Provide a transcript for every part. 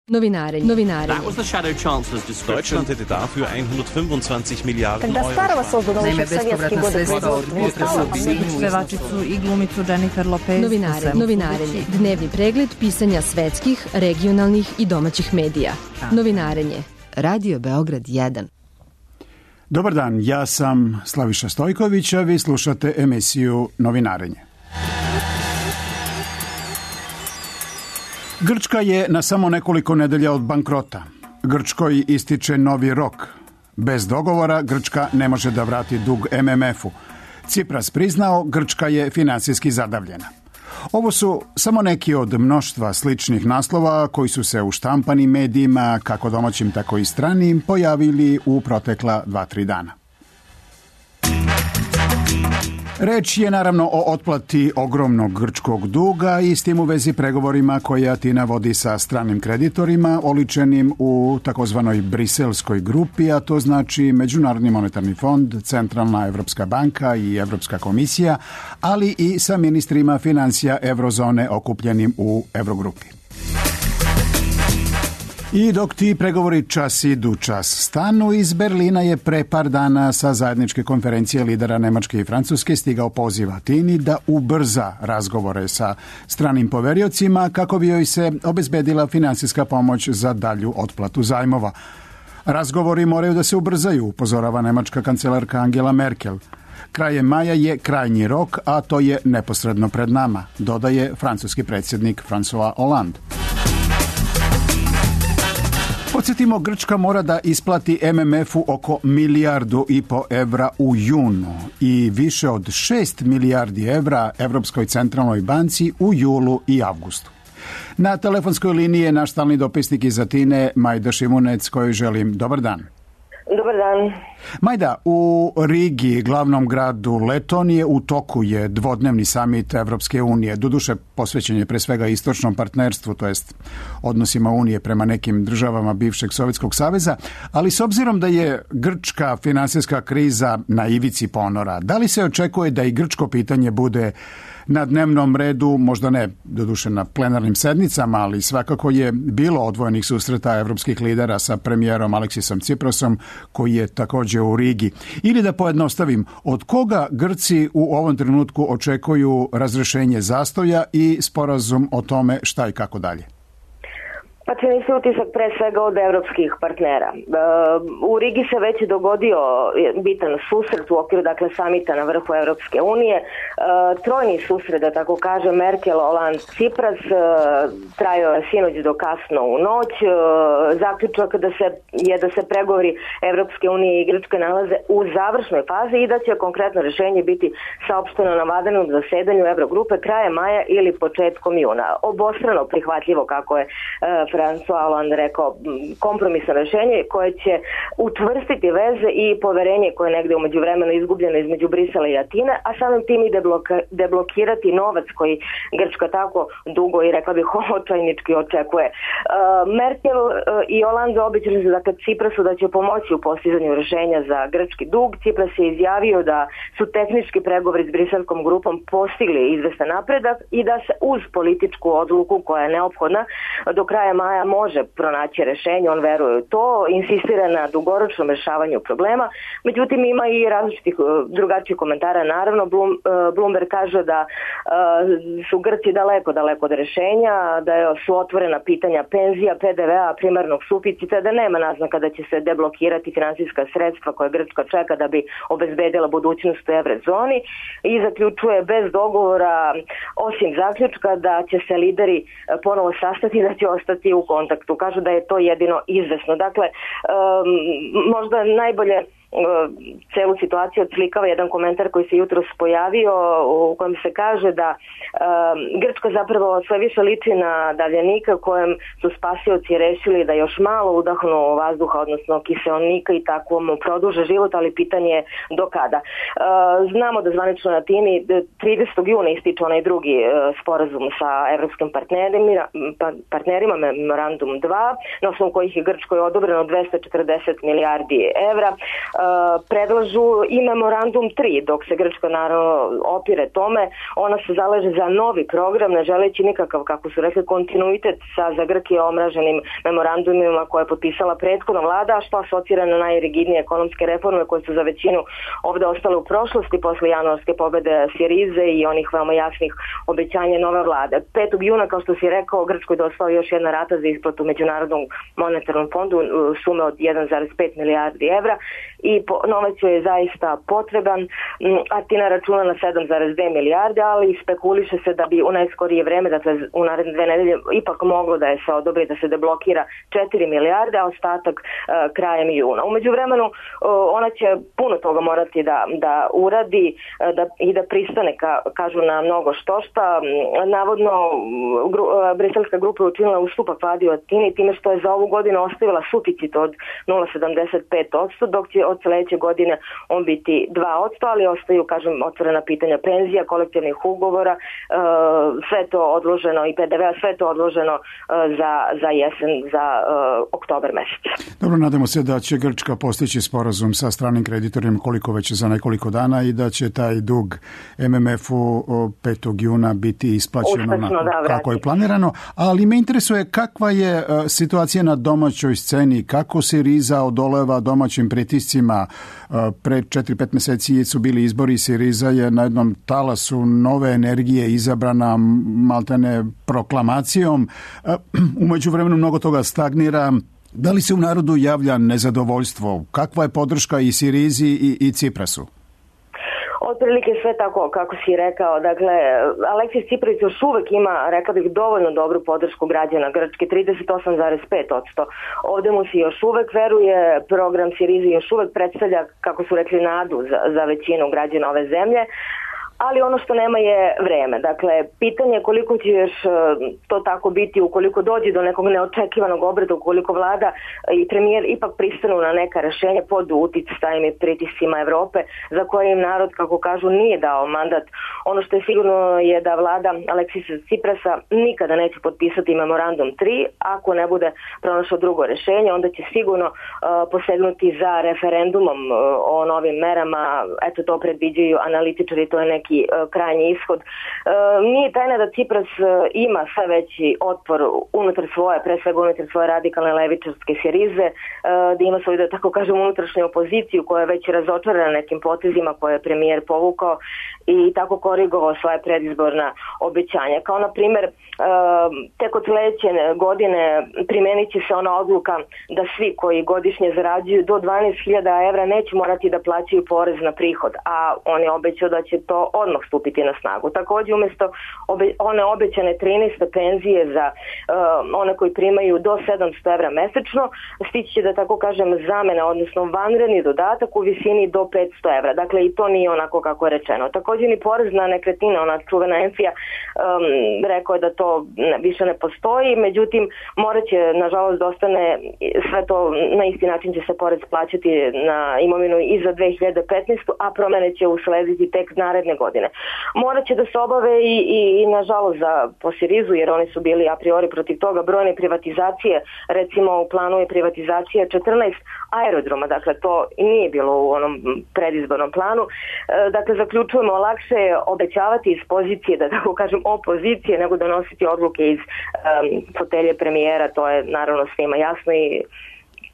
Novinarenje. That was the Shadow Chancellor's description. Deutschland hätte dafür 125 Milijarden Когда Старого создано Naime, еще в советские годы производства. Pevačicu i glumicu Jennifer Lopez. Novinarenje. Dnevni pregled pisanja svetskih, regionalnih i domaćih medija. Novinarenje. Radio Beograd 1. Dobar dan, ja sam Slaviša Stojković, a vi slušate emisiju Novinarenje. Grčka je na samo nekoliko nedelja od bankrota. Grčkoj ističe novi rok. Bez dogovora Grčka ne može da vrati dug MMF-u. Tsipras priznao, Grčka je finansijski zadavljena. Ovo su samo neki od mnoštva sličnih naslova koji su se u štampanim medijima, kako domaćim tako i stranim, pojavili u protekla 2-3 dana. Reč je naravno o otplati ogromnog grčkog duga i s tim u vezi pregovorima koje Atina vodi sa stranim kreditorima, oličenim u takozvanoj briselskoj grupi, a to znači Međunarodni monetarni fond, Centralna Evropska banka i Evropska komisija, ali i sa ministrima financija Eurozone okupljenim u Eurogrupi. I dok ti pregovori čas idu čas stanu, iz Berlina je pre par dana sa zajedničke konferencije lidera Nemačke i Francuske stigao poziv Atini da ubrza razgovore sa stranim poveriocima kako bi joj se obezbedila finansijska pomoć za dalju otplatu zajmova. Razgovori moraju da se ubrzaju, upozorava nemačka kancelarka Angela Merkel. Krajem maja je krajnji rok, a to je neposredno pred nama, dodaje francuski predsjednik François Hollande. Podsjetimo, Grčka mora da isplati MMF-u oko 1,5 milijardu evra u junu i više od 6 milijardi evra Evropskoj centralnoj banci u julu i avgustu. Na telefonskoj liniji je naš stalni dopisnik iz Atine, Majda Šimunec, kojoj želim dobar dan. Dobar dan. Majda, u Rigi, glavnom gradu Letonije, u toku je dvodnevni samit Evropske unije. Doduše, posvećen je pre svega istočnom partnerstvu, to jest odnosima Unije prema nekim državama bivšeg Sovjetskog saveza, ali s obzirom da je grčka finansijska kriza na ivici ponora, da li se očekuje da i grčko pitanje bude na dnevnom redu, možda ne doduše na plenarnim sednicama, ali svakako je bilo odvojenih susreta evropskih lidera sa premijerom Aleksisom Tsiprasom, koji je također u Rigi. Ili da pojednostavim, od koga Grci u ovom trenutku očekuju razrešenje zastoja i sporazum o tome šta i kako dalje? Pa čini se utisak pre svega od evropskih partnera. U Rigi se već dogodio bitan susret u okviru samita na vrhu Evropske unije. Trojni susret, da tako kaže, Merkel, Hollande, Tsipras, trajao je sinoć do kasno u noć. Zaključak da se pregovori Evropske unije i Grčke nalaze u završnoj fazi i da će konkretno rješenje biti saopšteno na vanrednom zasedanju Eurogrupe krajem maja ili početkom juna. Obostrano prihvatljivo, kako je François Hollande rekao, kompromisno rješenje koje će utvrstiti veze i poverenje koje je negdje u međuvremenu izgubljeno između Brisela i Atine, a samim tim i deblokirati novac koji Grčka tako dugo i rekla bih očajnički očekuje. Merkel i Hollande obećali su Tsiprasu da će pomoći u postizanju rješenja za grčki dug. Tsipras je izjavio da su tehnički pregovori s briselskom grupom postigli izvestan napredak i da se uz političku odluku koja je neophodna do kraja maja može pronaći rješenje, on veruje u to, insistira na dugoročnom rješavanju problema, međutim ima i različitih drugačijih komentara. Naravno, Bloomberg kaže da su Grci daleko od rješenja, da su otvorena pitanja penzija, PDV-a, primarnog suficita, da nema naznaka da će se deblokirati finansijska sredstva koje Grčka čeka da bi obezbedila budućnost u eurozoni i zaključuje bez dogovora, osim zaključka da će se lideri ponovo sastati i da će ostati u kontaktu. Kažu da je to jedino izvesno. Dakle, možda najbolje celu situaciju odslikava jedan komentar koji se jutros pojavio u kojem se kaže da Grčka zapravo sve više liči na davljenika kojem su spasioci rešili da još malo udahnu vazduha, odnosno kiseonika i tako mu produže život, ali pitanje je do kada. Znamo da zvanično na Atini 30. juna ističe onaj drugi sporazum sa evropskim partnerima, memorandum 2, na osnovu kojih je Grčkoj odobreno 240 milijardi evra. predlažu i memorandum 3, dok se Grčka naravno opire tome. Ona se zalaže za novi program, ne želeći nikakav, kako su rekli, kontinuitet sa za Grke omraženim memorandumima koje je potpisala prethodna vlada, što asocira na najrigidnije ekonomske reforme koje su za većinu ovde ostale u prošlosti posle januarske pobede Sirize i onih veoma jasnih obećanja nove vlade. 5. juna, kao što si rekao, Grčkoj dospela još jedna rata za isplatu Međunarodnom monetarnom fondu sume od 1,5 milijardi evra i novac je zaista potreban. Atina računa na 7,2 milijarde, ali spekuliše se da bi u najskorije vreme, dakle u naredne 2 nedelje, ipak moglo da je se odobri da se deblokira 4 milijarde, a ostatak krajem juna. U međuvremenu ona će puno toga morati da uradi i da pristane, kažu, na mnogo štošta. Navodno, briselska grupa je učinila ustupak vladi u Atini time što je za ovu godinu ostavila suficit od 0,75%, dok će od sledeće godine on biti 2%, ali ostaju, kažem, otvorena pitanja penzija, kolektivnih ugovora, sve to odloženo i PDV-a, sve to odloženo za jesen, za oktobar mesec. Dobro, nadamo se da će Grčka postići sporazum sa stranim kreditorima koliko već za nekoliko dana i da će taj dug MMF-u 5. juna biti isplaćeno kako je planirano, ali me interesuje kakva je situacija na domaćoj sceni, kako Siriza odoleva domaćim pritiscima. Pre 4-5 meseci su bili izbori, Siriza je na jednom talasu nove energije izabrana maltene proklamacijom. Umeđu vremenu mnogo toga stagnira. Da li se u narodu javlja nezadovoljstvo? Kakva je podrška i Sirizi i Ciprasu? Otprilike sve tako kako si rekao. Dakle, Aleksis Tsipras još uvek ima, rekla bih, dovoljno dobru podršku građana Grčke, 38,5%. Ovde mu se još uvek veruje, program Sirizi još uvek predstavlja, kako su rekli, nadu za većinu građana ove zemlje. Ali ono što nema je vreme. Dakle, pitanje je koliko će još to tako biti ukoliko dođe do nekog neočekivanog obreda, ukoliko vlada i premijer ipak pristanu na neka rešenja pod uticajem i pritiscima Evrope, za koje im narod, kako kažu, nije dao mandat. Ono što je sigurno je da vlada Aleksisa Tsiprasa nikada neće potpisati memorandum 3, ako ne bude pronašao drugo rešenje, onda će sigurno posegnuti za referendumom o novim merama. Eto, to predviđaju analitičari, to je neki krajnji ishod. Nije tajna da Tsipras ima sve veći otpor unutar svoje, pre svega unutar svoje radikalne levičarske Sirize, da ima svoju, da tako kažem, unutrašnju opoziciju koja je već razočarana nekim potezima koje je premijer povukao i tako korigovao svoje predizborna obećanja. Kao na primjer, tek od sledeće godine primenit će se ona odluka da svi koji godišnje zarađuju do 12.000 evra neće morati da plaćaju porez na prihod, a on je obećao da će to odmah stupiti na snagu. Takođe, umjesto one obećane 13 penzije za one koji primaju do 700 evra mesečno, stići će, da tako kažem, zamena, odnosno vanredni dodatak u visini do 500 evra. Dakle, i to nije onako kako je rečeno. Takođe, ni porez na nekretnine, ona čuvena Enfija, rekao je da to više ne postoji, međutim, morat će, nažalost, da ostane sve to, na isti način će se porez plaćati na imovinu i za 2015. a promene će uslediti tek naredne godine. Morat će da se obave i nažalost po Sirizu, jer oni su bili a priori protiv toga, brojne privatizacije. Recimo, u planu je privatizacija 14 aerodroma, dakle to nije bilo u onom predizbornom planu. Dakle, zaključujemo, lakše je obećavati iz pozicije, da tako kažem, opozicije, nego donositi odluke iz fotelje premijera, to je naravno svima jasno i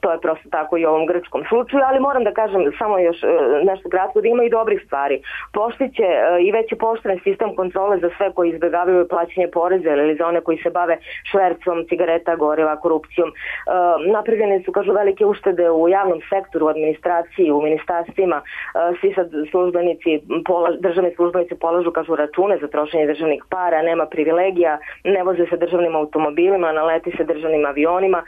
to je prosto tako i u ovom grčkom slučaju, ali moram da kažem samo još nešto kratko, da ima i dobrih stvari. Poštiće i već je poštren sistem kontrole za sve koji izbegavaju plaćanje poreza ili za one koji se bave švercom cigareta, goriva, korupcijom. Napravljene su, kažu, velike uštede u javnom sektoru, u administraciji, u ministarstvima. Svi sad državni službenici polažu, kažu, račune za trošenje državnih para, nema privilegija, ne voze se državnim automobilima, naleti se državnim avionima.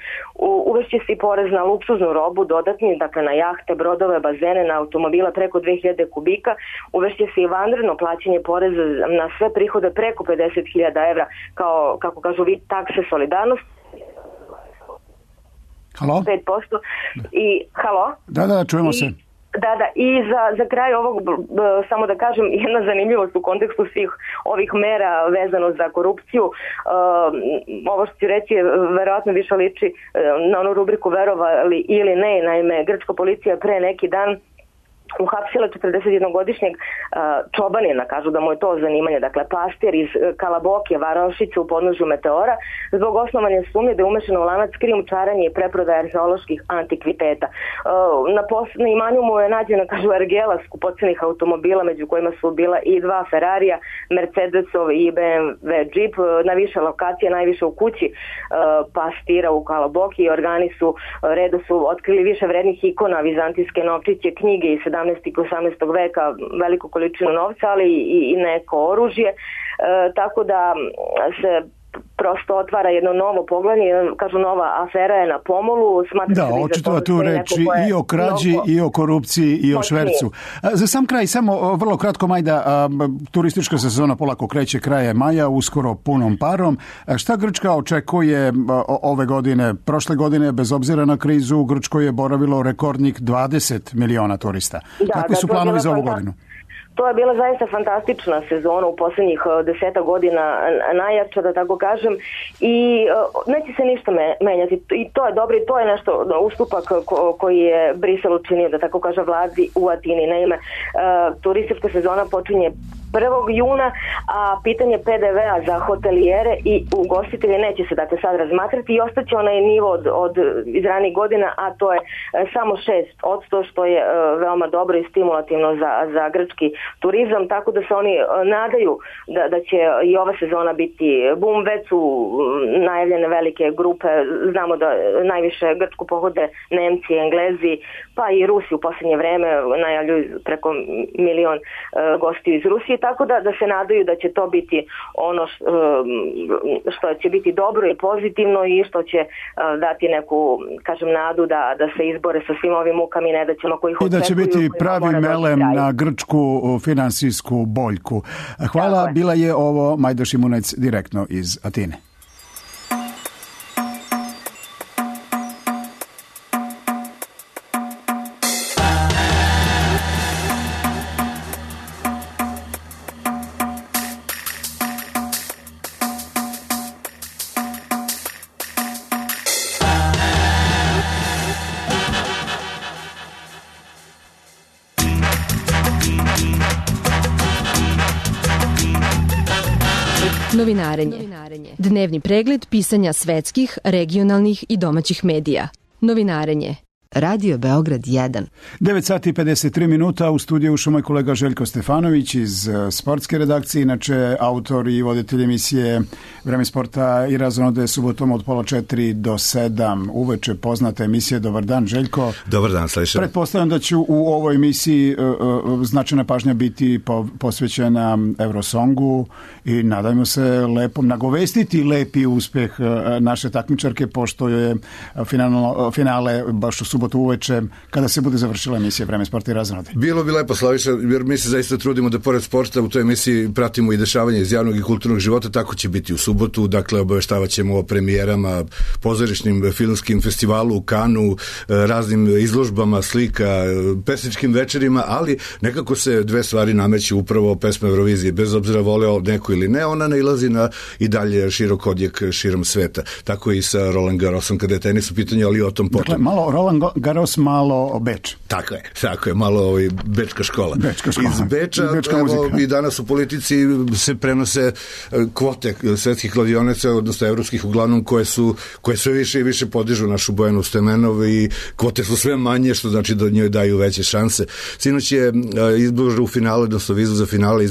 Uvešće se i porez na luksuznu robu dodatni, dakle na jahte, brodove, bazene, na automobila preko 2000 kubika. Uvešće se i vanredno plaćanje poreza na sve prihode preko 50.000 evra kao, kako kažu, vid takse solidarnosti. Halo? 5%. I, halo? Da, čujemo se. Da, i za kraj ovog, samo da kažem, jedna zanimljivost u kontekstu svih ovih mera vezano za korupciju. Ovo što ću reći je verovatno više liči na onu rubriku verovali ili ne. Naime, grčka policija pre neki dan uhapsila 41-godišnjeg čobanina, kažu da mu je to zanimanje, dakle pastir iz Kalabokije, varošice u podnožju Meteora, zbog osnovanja sumnje da je umešan u lanac krijumčarenja i preprodaje arheoloških antikviteta. Na imanju mu je nađena, kažu, ergela skupocenih automobila, među kojima su bila i 2 Ferrarija, Mercedesov i BMW Jeep, na više lokacije, najviše u kući pastira u Kalabokiji. Organi redu su otkrili više vrednih ikona, vizantijske novčiće, knjige iz 17. i 18. veka, veliku količinu novca, ali i neko oružje, tako da se prosto otvara jedno novo poglavlje, kažu nova afera je na pomolu. Da, očito tu reči i o krađi, i o korupciji, i o švercu. Za sam kraj, samo vrlo kratko, Majda, turistička sezona polako kreće kraje maja, uskoro punom parom. Šta Grčka očekuje ove godine? Prošle godine, bez obzira na krizu, u Grčkoj je boravilo rekordnih 20 miliona turista. Kakvi su planovi za ovu godinu? To je bila zaista fantastična sezona u posljednjih 10 godina, najjača, da tako kažem, i neće se ništa menjati. I to je dobro i to je nešto ustupak koji je Brisel učinio, da tako kaže, vladi u Atini. Naime, turistička sezona počinje 1. juna, a pitanje PDV-a za hotelijere i ugostitelje neće se dakle sad razmatrati i ostaće onaj nivo od iz ranijih godina, a to je samo 6%, što je veoma dobro i stimulativno za grčki turizam, tako da se oni nadaju da će i ova sezona biti bum. Već su najavljene velike grupe, znamo da najviše Grčku pohode Nemci, Englezi, pa i Rusi u posljednje vreme najavljuju preko 1 milion gostiju iz Rusije, tako da se nadaju da će to biti ono što će biti dobro i pozitivno i što će dati neku, kažem, nadu da se izbore sa svim ovim mukama i nedaćama koji ih očekuju. I da će biti pravi melem na grčku finansijsku boljku. Hvala, bila je ovo Majda Šimunec direktno iz Atine. Novinarenje. Dnevni pregled pisanja svetskih, regionalnih i domaćih medija. Novinarenje. Radio Beograd 1. 9 sati i 53 minuta, u studiju ušao moj kolega Željko Stefanović iz sportske redakcije, inače autor i voditelj emisije Vreme sporta i razonode subotom od 3:30 do 7 uveče, poznata emisija. Dobar dan, Željko. Dobar dan, Slaviša. Pretpostavljam da će u ovoj emisiji značajna pažnja biti posvećena Eurosongu i nadajmo se nagovestiti lepi uspeh naše takmičarke, pošto je finale baš u subotu uveče, kada se bude završila emisija Vreme sporta i razonode. Bilo bi lepo, Slaviša, jer mi se zaista trudimo da pored sporta u toj emisiji pratimo i dešavanje iz javnog i kulturnog života. Tako će biti u subotu, dakle obaveštavat ćemo o premijerama, pozorišnim filmskim festivalu u Kanu, raznim izložbama slika, pesničkim večerima, ali nekako se dve stvari nameću, upravo pesma Eurovizije. Bez obzira voleo neko ili ne, ona nailazi na i dalje širok odjek širom sveta. Tako i sa Roland Garrosom kada je tenis u pitanju, ali o tom potom. Dakle, malo Roland Garros, malo Beč. Tako je, malo bečka škola. Iz Beča, i danas u politici se prenose kvote svetskih kladionica, odnosno evropskih uglavnom, koje sve više i više podižu našu Bojanu Stemenov i kvote su sve manje, što znači da njoj daju veće šanse. Sinoć je izbor u finale, odnosno vizu za finale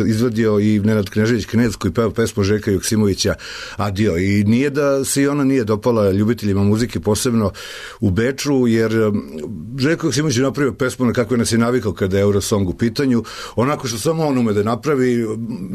izvadio i Nenad Knežević Knez, koji peva pesmu Željka Joksimovića Adio. I nije da se i ona nije dopala ljubiteljima muzike, posebno u Beču, jer Željko Joksimović je napravio pesmu na kako je nas je navikao kada je Eurosong u pitanju, onako što samo on ume da napravi,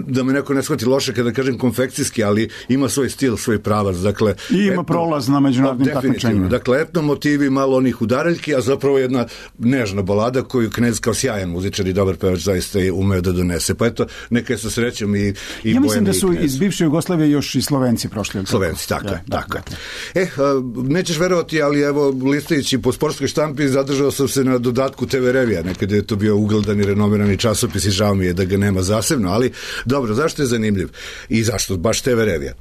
da me neko ne shvati loše kada kažem konfekcijski, ali ima svoj stil, svoj pravac. Dakle, i ima prolaz na međunarodnim takmičenjima. Dakle, etno motivi, malo onih udareljki, a zapravo jedna nežna balada koju Knez kao sjajan muzičar i dobar pevač zaista je umeo da donese. Pa eto, neka je sa srećom i ja mislim da su iz bivše Jugoslavije još i Slovenci prošli. Slovenci, tako je. Nećeš verovati, ali evo, listajući putujući po sportskoj štampi zadržao sam se na dodatku TV Revija, nekada je to bio ugledan i renomirani časopis i žao mi je da ga nema zasebno, ali dobro, zašto je zanimljiv i zašto baš TV Revija?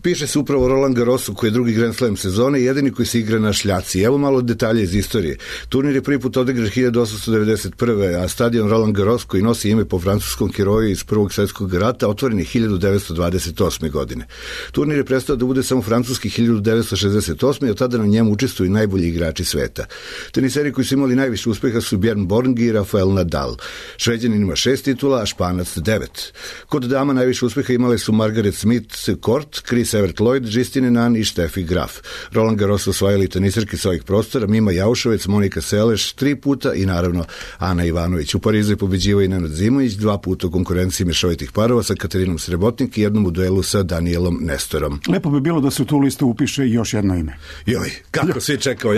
Piše se upravo o Roland Garrosu koji je drugi Grand Slam sezone i jedini koji se igra na šljaci. Evo malo detalje iz istorije. Turnir je prvi put odigran 1891. a stadion Roland Garros koji nosi ime po francuskom heroju iz Prvog svjetskog rata otvoren je 1928. godine. Turnir je prestao da bude samo francuski 1968. i od tada na njemu učestvuju najbolji igrači sveta. Teniseri koji su imali najviše uspeha su Bjorn Borg i Rafael Nadal. Šveđanin ima 6 titula, a Španac 9. Kod dama najviše uspeha imale su Margaret Smith Court, Chris Evert Lloyd, Justine Nan i Steffi Graf. Roland Garros osvajali teniserke s ovih prostora Mima Jaušovec, Monika Seleš 3 puta i naravno Ana Ivanović. U Parizu je pobeđivao i Nenad Zimović 2 puta u konkurenciji mešovitih parova sa Katarinom Srebotnik i jednom u duelu sa Danielom Nestorom. Lepo bi bilo da se u tu listu upiše još jedno ime. Joj, kako svi čekao.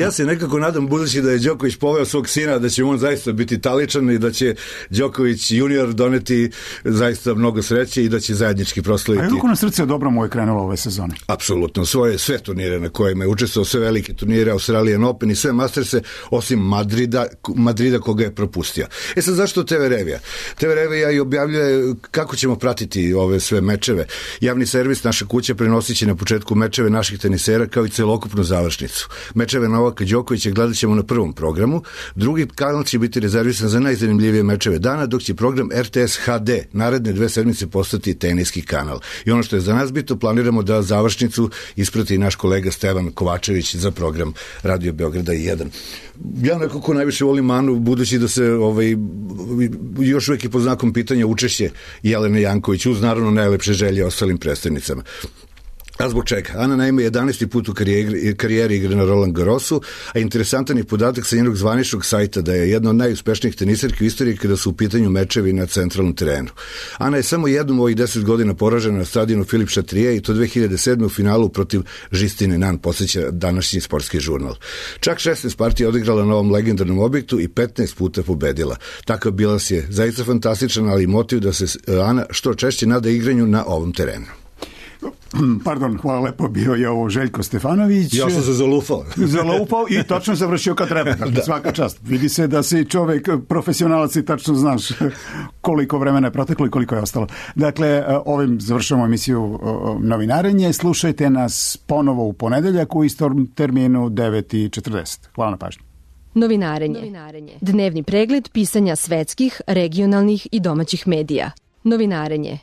Ja se nekako nadam, budući da je Đoković poveo svog sina, da će on zaista biti taličan i da će Đoković junior doneti zaista mnogo sreće i da će zajednički proslaviti. A je na srce dobro mu je krenulo ove sezone? Apsolutno, sve turnire na kojima je učestvovao, sve velike turnire, Australian Open i sve Masterse, osim Madrida koga je propustio. Sad zašto TV Revija? TV Revija i objavljuje kako ćemo pratiti ove sve mečeve. Javni servis naša kuća prenosit će na početku mečeve naših tenisera kao i celokupnu završnicu. Mečeve Novaka Đokovića gledat ćemo na prvom programu, drugi kanal će biti rezervisan za najzanimljivije mečeve dana, dok će program RTS HD naredne 2 sedmice postati teniski kanal. I ono što je za nas bitno, planiramo da završnicu isprati naš kolega Stevan Kovačević za program Radio Beograda 1. Ja nekako najviše volim Anu, budući da se još uvijek je pod znakom pitanja učešće Jelene Janković, uz naravno najlepše želje ostalim predstavnicama. A zbog čega? Ana naime 11. put u karijeri igra na Roland Garrosu, a interesantan je podatak sa njenog zvaničnog sajta da je jedna od najuspešnijih teniserki u istoriji kada su u pitanju mečevi na centralnom terenu. Ana je samo jednom u ovih 10 godina poražena na stadionu Filip Chatrier i to 2007. u finalu protiv Justine Nan, podsjeća današnji sportski žurnal. Čak 16 partija odigrala na ovom legendarnom objektu i 15 puta pobedila. Takav bilans je zaista fantastičan, ali i motiv da se Ana što češće nada igranju na ovom terenu. Pardon, hvala lepo, bio je ovo Željko Stefanović. Ja sam se zalupao. Zalupao i tačno završio kad treba. Svaka čast. Vidi se da si čovjek profesionalac i tačno znaš koliko vremena je proteklo i koliko je ostalo. Dakle, ovim završavamo emisiju Novinarenje. Slušajte nas ponovo u ponedeljak u istom terminu 9:40. Hvala na pažnju. Novinarenje. Dnevni pregled pisanja svetskih, regionalnih i domaćih medija. Novinarenje.